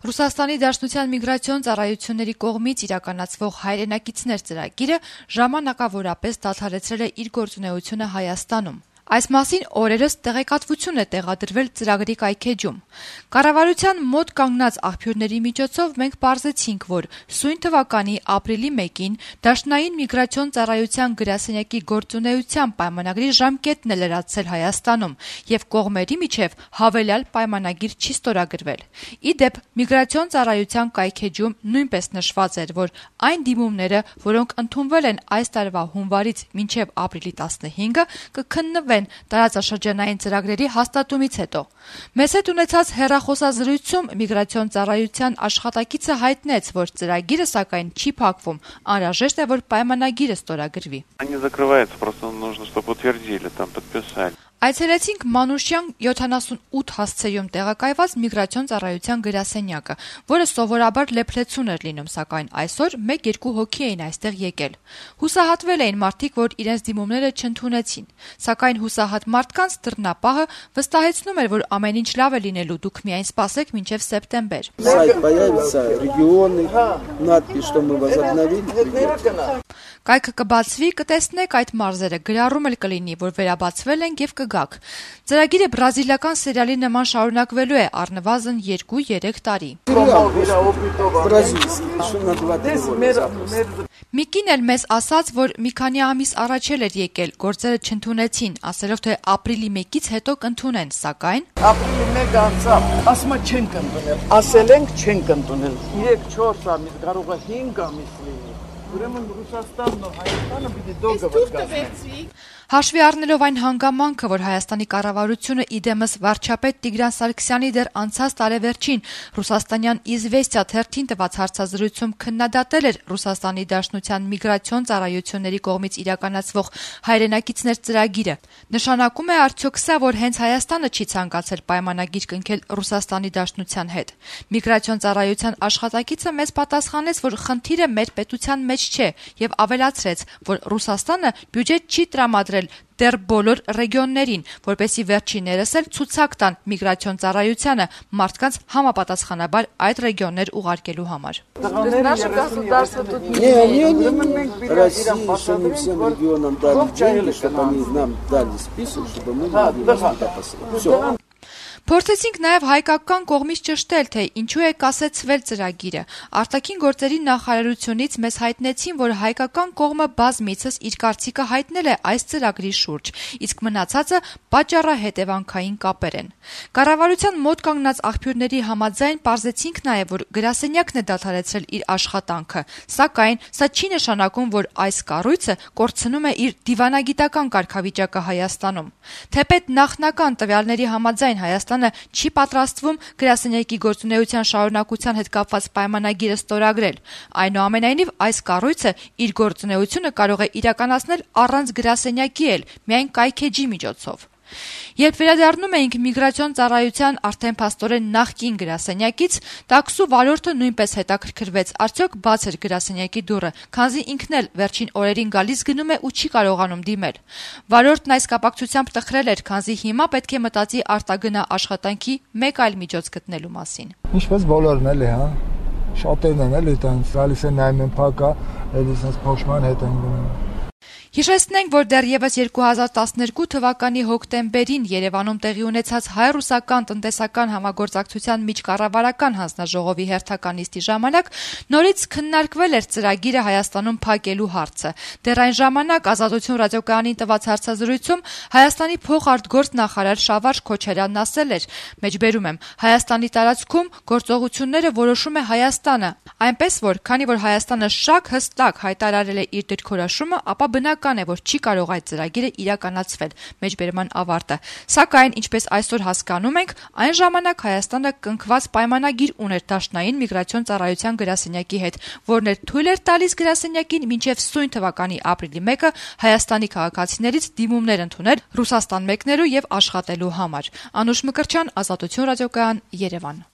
Ռուսաստանի Դաշնության միգրացիոն ծառայությունների կողմից իրականացվող հայրենակիցներ ծրագիրը ժամանակավորապես դադարեցրել է իր գործունեությունը Հայաստանում։ Այս մասին օրերս տեղեկատվություն է տեղադրվել ծրագրի կայքեջում։ Կառավարության մոտ կանգնած աղբյուրների միջոցով մենք պարզեցինք, որ սույն թվականի ապրիլի 1-ին Դաշնային միգրացիոն ծառայության գրասենյակի գործունեության պայմանագրի ժամկետն է լրացել Հայաստանում եւ կողմերի միջև հավելյալ պայմանագիր չի ստորագրվել։ Ի դեպ, միգրացիոն ծառայության կայքեջում նույնպես նշված էր, որ այն դիմումները, որոնք ընդունվել են այս տարվա հունվարից մինչև ապրիլի 15-ը, կքննվեն տարածաշրջանային ծրագրերի հաստատումից հետո։ Մեզ հետ ունեցած հեռախոսազրույցում միգրացիոն ծառայության աշխատակիցը հայտնեց, որ ծրագիրը սակայն չի փակվում, անհրաժեշտ է, որ պայմանագիրը ստորագրվի։ Այցելեցինք Մանուշյան 78 հասցեում տեղակայված միգրացիոն ծառայության գրասենյակը, որը սովորաբար լեփլեցուն էր լինում, սակայն այսօր 1-2 հոգի էին այստեղ եկել։ Հուսահատվել էին մարդիկ, որ իրենց դիմումները չընդունեցին, սակայն հուսահատ մարդկանց դռնապահը վստահեցնում էր, որ ամեն ինչ լավ է լինելու, դուք միայն սպասեք մինչև սեպտեմբեր։ Կայքը կբացվի, կտեսնեք այդ մարզերը, գրառում էլ կլինի, որ վերաբացվել են եւ կգաք։ Ծրագիրը բրազիլական սերիալի նման շարունակվելու է առնվազն 2-3 տարի։ Միկին էլ մեզ ասաց, որ մի քանի ամիս առաջ էր եկել, գործերը չընդունեցին, ասելով թե ապրիլի 1-ից հետո կընդունեն, սակայն ապրիլի 1 անցավ, ասում չեն կընդունել, ասել ենք չեն կընդունել։ 3-4 ամիս, կարող է 5 ամիս լինի։ Ուրեմն Ռուսաստանն ու Հայաստանը պիտի դոգը գտնեն։ Հաշվի առնելով այն հանգամանքը, որ Հայաստանի կառավարությունը իդեմս վարչապետ Տիգրան Սարգսյանի դեռ անցած տարեվերջին Ռուսաստանյան «Իզվեստիա» թերթին տված հարցազրույցում քննադատել էր Ռուսաստանի Դաշնության միգրացիոն ծառայությունների կողմից իրականացվող հայրենակիցներ ծրագիրը, նշանակում է արդյոք սա, որ հենց Հայաստանը չի ցանկացել պայմանագիր կնքել Ռուսաստանի Դաշնության հետ։ Միգրացիոն ծառայության աշխատակիցը մեզ պատասխանեց, որ խնդիրը մեր պետության մեջ չէ եւ ավելացրեց, որ Ռուսաստանը բյուջետ չի տրամադրել դեռ բոլոր ռեգիոններին, որպեսզի վերջիններս էլ ցուցակ տան միգրացիոն ծառայությանը մարդկանց համապատասխանաբար այդ ռեգիոններ ուղարկելու համար։ Փորձեցինք նաև հայկական կողմից ճշտել, թե ինչու է կասեցվել ծրագիրը։ Արտաքին գործերի նախարարությունից մեզ հայտնեցին, որ հայկական կողմը բազմիցս իր կարծիքը հայտնել է այս ծրագրի շուրջ, իսկ մնացածը պատճառահետևանքային կապեր են։ Կառավարության մոտ կանգնած աղբյուրների համաձայն պարզեցինք նաև, որ գրասենյակն է դադարեցրել իր աշխատանքը, սակայն սա չի նշանակում, որ այս կառույցը կորցնում է իր դիվանագիտական կարգավիճակը Հայաստանում։ Թեպետ նախնական տվյալների համաձայն Հայաստանը չի պատրաստվում գրասենյակի գործունեության շարունակության հետ կապված պայմանագիրը ստորագրել։ Այնուամենայնիվ, այս կառույցը իր գործունեությունը կարող է իրականացնել առանց գրասենյակի էլ, միայն կայքեջի միջոցով։ Երբ վերադառնում էինք միգրացիոն ծառայության արդեն փաստորեն նախկին գրասենյակից, տաքսու վարորդը նույնպես հետաքրքրվեց, արդյոք բաց էր գրասենյակի դուռը, քանզի ինքն էլ վերջին օրերին գալիս գնում է ու չի կարողանում դիմել։ Վարորդն այս կապակցությամբ տխրել էր, քանզի հիմա պետք է մտածի արտագնա աշխատանքի մեկ այլ միջոց գտնելու մասին։ Ինչպես բոլորն էլի, հա։ Շատերն են էլի տենց գալիս են նայում են փակա, էլի sense փոշման հետ են գնում։ Հիշեցնենք, որ դեռևս 2012 թվականի հոկտեմբերին Երևանում տեղի ունեցած հայ-ռուսական տնտեսական համագործակցության միջկառավարական հանձնաժողովի հերթական նիստի ժամանակ նորից քննարկվել էր ծրագիրը Հայաստանում փակելու հարցը։ Դեռ այն ժամանակ Ազատություն ռադիոկայանին տված հարցազրույցում Հայաստանի փոխարտգործ նախարար Շավարժ Քոչարյանն ասել էր. «Մեջբերում եմ, Հայաստանի տարածքում գործողությունները որոշում է Հայաստանը, այնպես որ, քանի որ Հայաստանը շակ հստակ հայտարարել է իր դիրքորոշումը, ապա բնական է, որ չի կարող այդ ծրագիրը իրականացվել», մեջբերման ավարտը։ Սակայն, ինչպես այսօր հասկանում ենք, այն ժամանակ Հայաստանը կնքված պայմանագիր ուներ Դաշնային միգրացիոն ծառայության գրասենյակի հետ, որն էր թույլ էր տալիս գրասենյակին մինչև սույն թվականի ապրիլի 1-ը Հայաստանի քաղաքացիներից դիմումներ ընդունել Ռուսաստան մեկնելու եւ աշխատելու համար։ Անուշ Մկրտչյան, Ազատություն ռադիոկայան, Երևան։